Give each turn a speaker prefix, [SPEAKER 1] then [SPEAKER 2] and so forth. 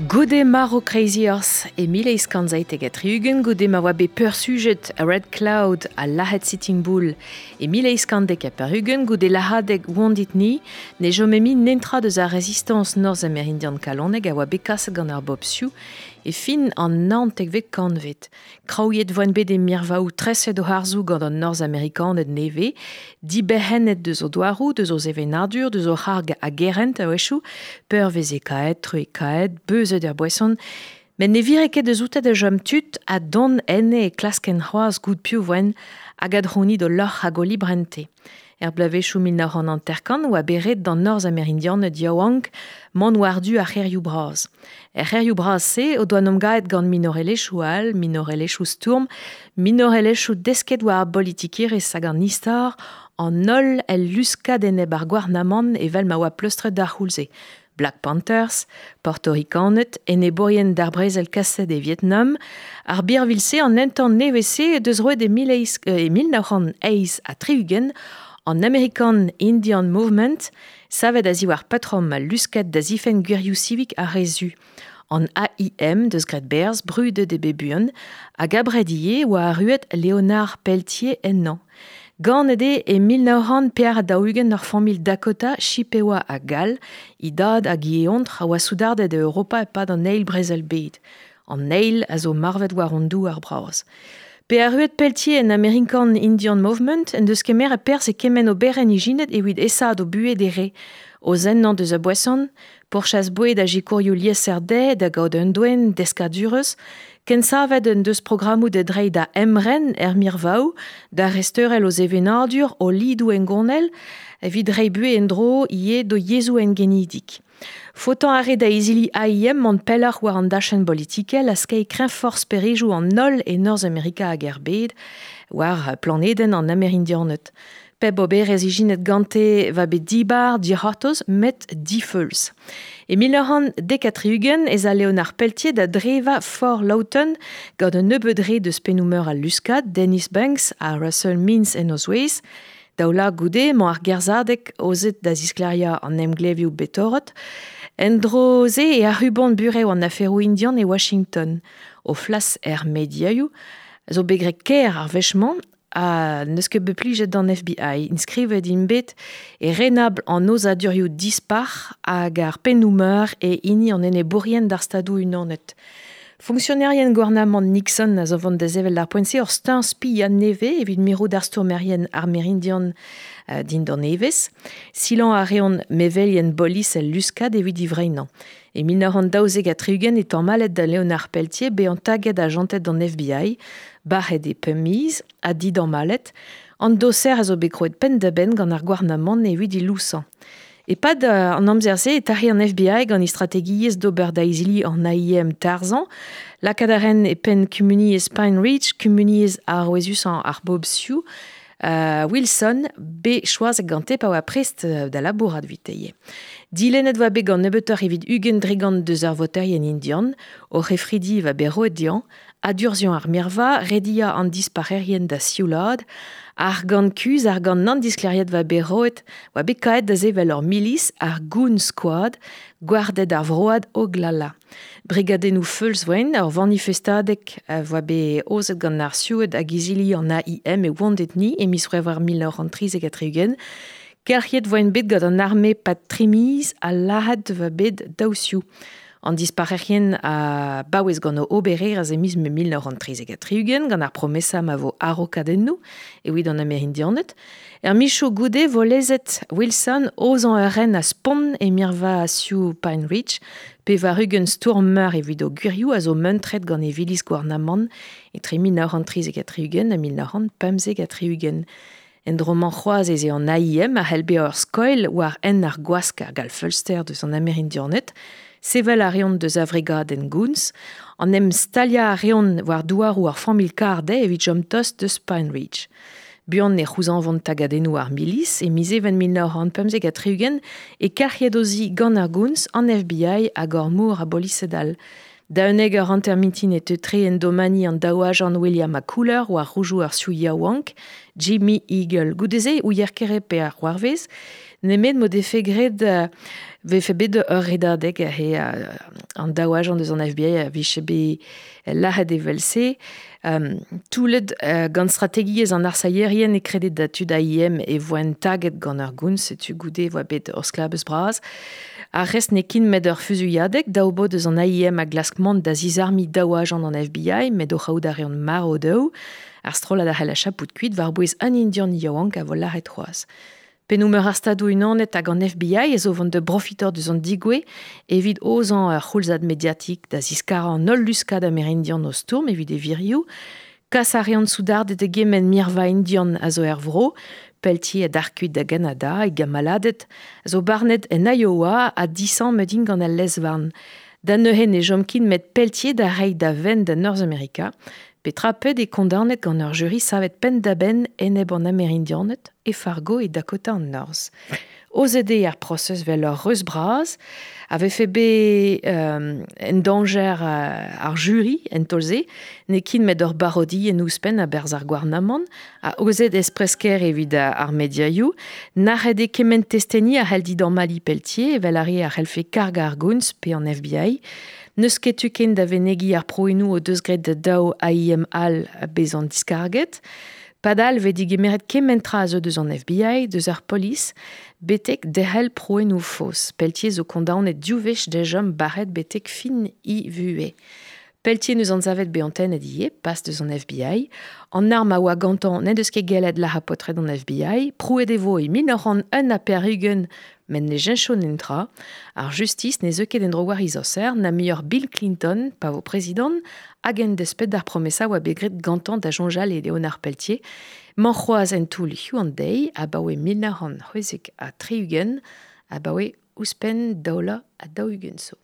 [SPEAKER 1] Goude marv Crazy Horse e 1877, goude ma oa bet peursujet Red Cloud ha lazhet Sitting Bull e 1890, goude lahadeg Wounded Knee, ne chome mui netra deus ar rezistañs norzh-amerindian kalonek a oa bet kaset gant ar bobl Sioux e fin an naontekvet kantved. Kraouiet voent bet e mirvaoù treset o harzoù gant an Norzhamerikaned nevez, diberc'hennet deus o douaroù, deus o sevenadur, deus o c'harg a gerent a-wechoù, peurvezekaet, truekaet, beuzet er boeson, met ne vire ket deus oute da chom tud ha dont enne e klasken c'hoazh goût piv voent hag adc'hounit o lorc'h hag o librente. Er bloavezhioù 1950 oa bet ret d'an Norzhamerindianed yaouank mont war-du ar c'hêrioù bras. Er c'hêrioù bras-se o doa nomgaet gant minorelezhioù all, minorelezhioù stourm, minorelezhioù desket war ar bolitikerezh hag an istor, an holl el luskad enep ar gouarnamant evel ma oa pleustret d'ar c'houlz-se. Black Panthers, Portorikaned, enebourien d'ar brezel kaset e Vietnam, ar birvilh-se an entan nevez-se deus roet e 1968 an American Indian Movement, savet a-ziwar patrom al luskad da zifenn gwirioù sivik ar re zu. An AIM deus graet berzh, brudet eo bet buan, hag abred ivez oa arruet Leonard Peltier ennañ. Ganet eo e 1944 ur familh Dakota, Chippewa ha Gall, e dad hag e eontr a oa soudarded e Europa e-pad an Eil Brezel-bed. An eil a zo marvet war hon douar bras. Pe arruet Peltier en American Indian Movement en deus kemeret perzh e kement oberenn ijinet evit aesaat o buhez d'e re. O zennañ deus a boeson, pourchas boued ha sikourioù liesseurt dezhe da gaout un doenn deskadurezh, kensavet en deus programmoù da dreiñ da emren er mirvaoù, da resteurel o sevenadur, o lidoù hengounel, evit reiñ buhez en-dro ivez d'o yezhoù engenidik. Faotañ a rae da izili AIM mont pelloc'h war an dachenn bolitikel ha skeiñ kreñvoc'h sperejoù an holl e Norzhamerika hag er bed, war planedenn an Amerindianed. Pep oberezh ijinet gante va bet dibar, dic'hortoz, met difeuls. E 1970 ez a Leonard Peltier da drevañ Fort Lawton gant un nebeud re deus pennoù-meur al luskad, Dennis Banks ha Russell Means en o zouez. Daou lak goude emañ ar gerzhadeg aozet da zisklêriañ an emglevioù bet torret. En-dro-se e ac'hubont burev an aferoù indian e Washington. O flas er mediaioù zo bet graet kaer ar wech-mañ ha n'eus ket bet plijet d'an FBI. Inskrivet int bet e renabl an aozadurioù dispar hag ar pennoù-meur e hini an enebourien d'ar Stadoù-Unanet. Fonksionerien gouarnamant Nixon a zo vont da sevel d'ar poent-se ur steuñv spiañ nevez evit mirout ar stourmerien armerindian dindan evezh. Silañ a reont mevelien bolis el luskad evit divreinañ. E 1972 e tamallet da Leonard Peltier bezañ taget ajanted d'an FBI, bac'het e pemp miz ha didamallet. An doser a zo bet krouet penn-da-benn gant ar gouarnamant evit e lousañ. E-pad an amzer-se e tac'he an FBI gant e strategiezh d'ober da izili an AIM tarzhañ. Lakaat a raent e penn kumuniezh Pine Ridge, kumuniezh arouezusañ ar bobl Sioux, Wilson, bet choazet gante pa oa prest da labourat evite ivez. Dilennet oa bet gant nebeutoc'h evit 20% deus ar voterien indian, o c'hefridi va bet roet dezhañ, adurzhiañ ar mirva, rediañ an dispac'herien da sioulaat, argant kuzh, argant nann-disklêriet va bet roet, oa bet kaet da sevel ur milis, ar Goon Squad, gwarded ar vroad Oglala. Brigadennoù feuls voent, ur vanifestadeg a voa bet aozet gant ar Sioued hag izili an AIM e Wounded Knee e miz C'hwevrer 1973. Kelc'hiet voent bet gant an arme pad tri miz ha lazhet va bet daou Sioux. An dispac'herien a baouez gant o obererezh e miz Mae 1973 gant ar promesa ma vo araokadennoù evit an Amerindianed. Er michoù goude vo lezet Wilson aozañ ur ren a spont e mirva Sioux Pine Ridge, 80 stourmer evit o gwirioù a zo muntret gant e viliz gouarnamant etre 1973 ha 1975. En dro-mañ c'hoazh ez eo an AIM a c'hell bezañ ur skoilh war hent ar gwask hag al feulster deus an Amerindianed. Sevel a reont deus a vrigadenn Goons. En em staliañ a reont war douaroù ar familh Cardet evit chom tost deus Pine Ridge. Buan e c'houzañvont tagadennoù ar milis e miz Even 1975 e kelc'hiet o zi gant ar Goons, an FBI hag ur mor a bolised all. Da unnek eur hanter mintin e teu tre en domani an daou ajant William ha Cooler war roujoù ar Sioux yaouank, Jimmy Eagle. Goude-se ouier kere pe ar c'hoarvez, nemet m'o defe graet vefe bet ur redadeg he an daou agent deus an FBI a vije bet lâret evel-se. Toulet gant strategiezh an arsailherien e kredet da tud AIM e voent taget gant ur goun, setu goude e voa bet ur sklabez bras. Ar rest n'eo ket met ur fuzuilhadeg, daou bod eus an AIM a glask mont da zizarmiñ daou agent an FBI, met o c'haout a reont marv dezho. Ar strollad a c'hell achapout kuit war-bouez un Indian yaouank a vo lâret c'hoazh. Pennoù meur ar Stadoù-Unanet hag an FBI ez o vont da brofitañ deus an degouezh evit aozañ ur c'houlzad mediatik da ziskarañ an holl luskad amerindian o stourm evit e wirioù. Kas a reont soudarded da gement mirva indian a zo er vro, Pelletier a dar kuit da Ganada, e gamaladed a zo barnet en Iowa ha disammet int gant al lez-varn. Da neuze ne chom ket met Pelletier da reiñ da vent da Norzhamerika. Petra pet eo kondaonet gant ur juri savet penn-da-benn enep an Amerindianed e Fargo e Dakota an Norzh. Aozet eo ar prosez 'vel ur reuz bras a vefe bet en dañjer ar juri en taol-se, n'eo ket met ur barodienn ouzhpenn a-berzh ar gouarnamant, ha aozet espres-kaer evit ar mediaioù. Nac'het eo kement testeni a c'hell didammalliñ Pelletier evel ar re a c'hellfe kargañ ar gounz pe an FBI. N'eus ket tu ken da venegiñ ar prouennoù o deus graet da daou AIM all bezañ diskarget. Padal vez digemeret kement tra a zeu deus an FBI, deus ar polis, betek derc'hel prouennoù faos. Pelletier zo kondaonet div wech da chom bac'het betek fin e vuhez. Pelletier n'eus anzavet bezañ tennet ivez, pas deus an FBI. An arm a oa gantañ n'en deus ket gellet lazhañ paotred an FBI. Prouet e vo e 1981 met ne cheñcho netra. Ar justis ne zeu ket en-dro war he zoser, na muioc'h Bill Clinton, pa vo prezidant, hag en desped d'ar promesa oa bet graet gantañ da soñjal e Leonard Peltier. Mañ c'hoazh en toull hiziv an deiz, abaoe 1976, abaoe ouzhpenn 42 zo.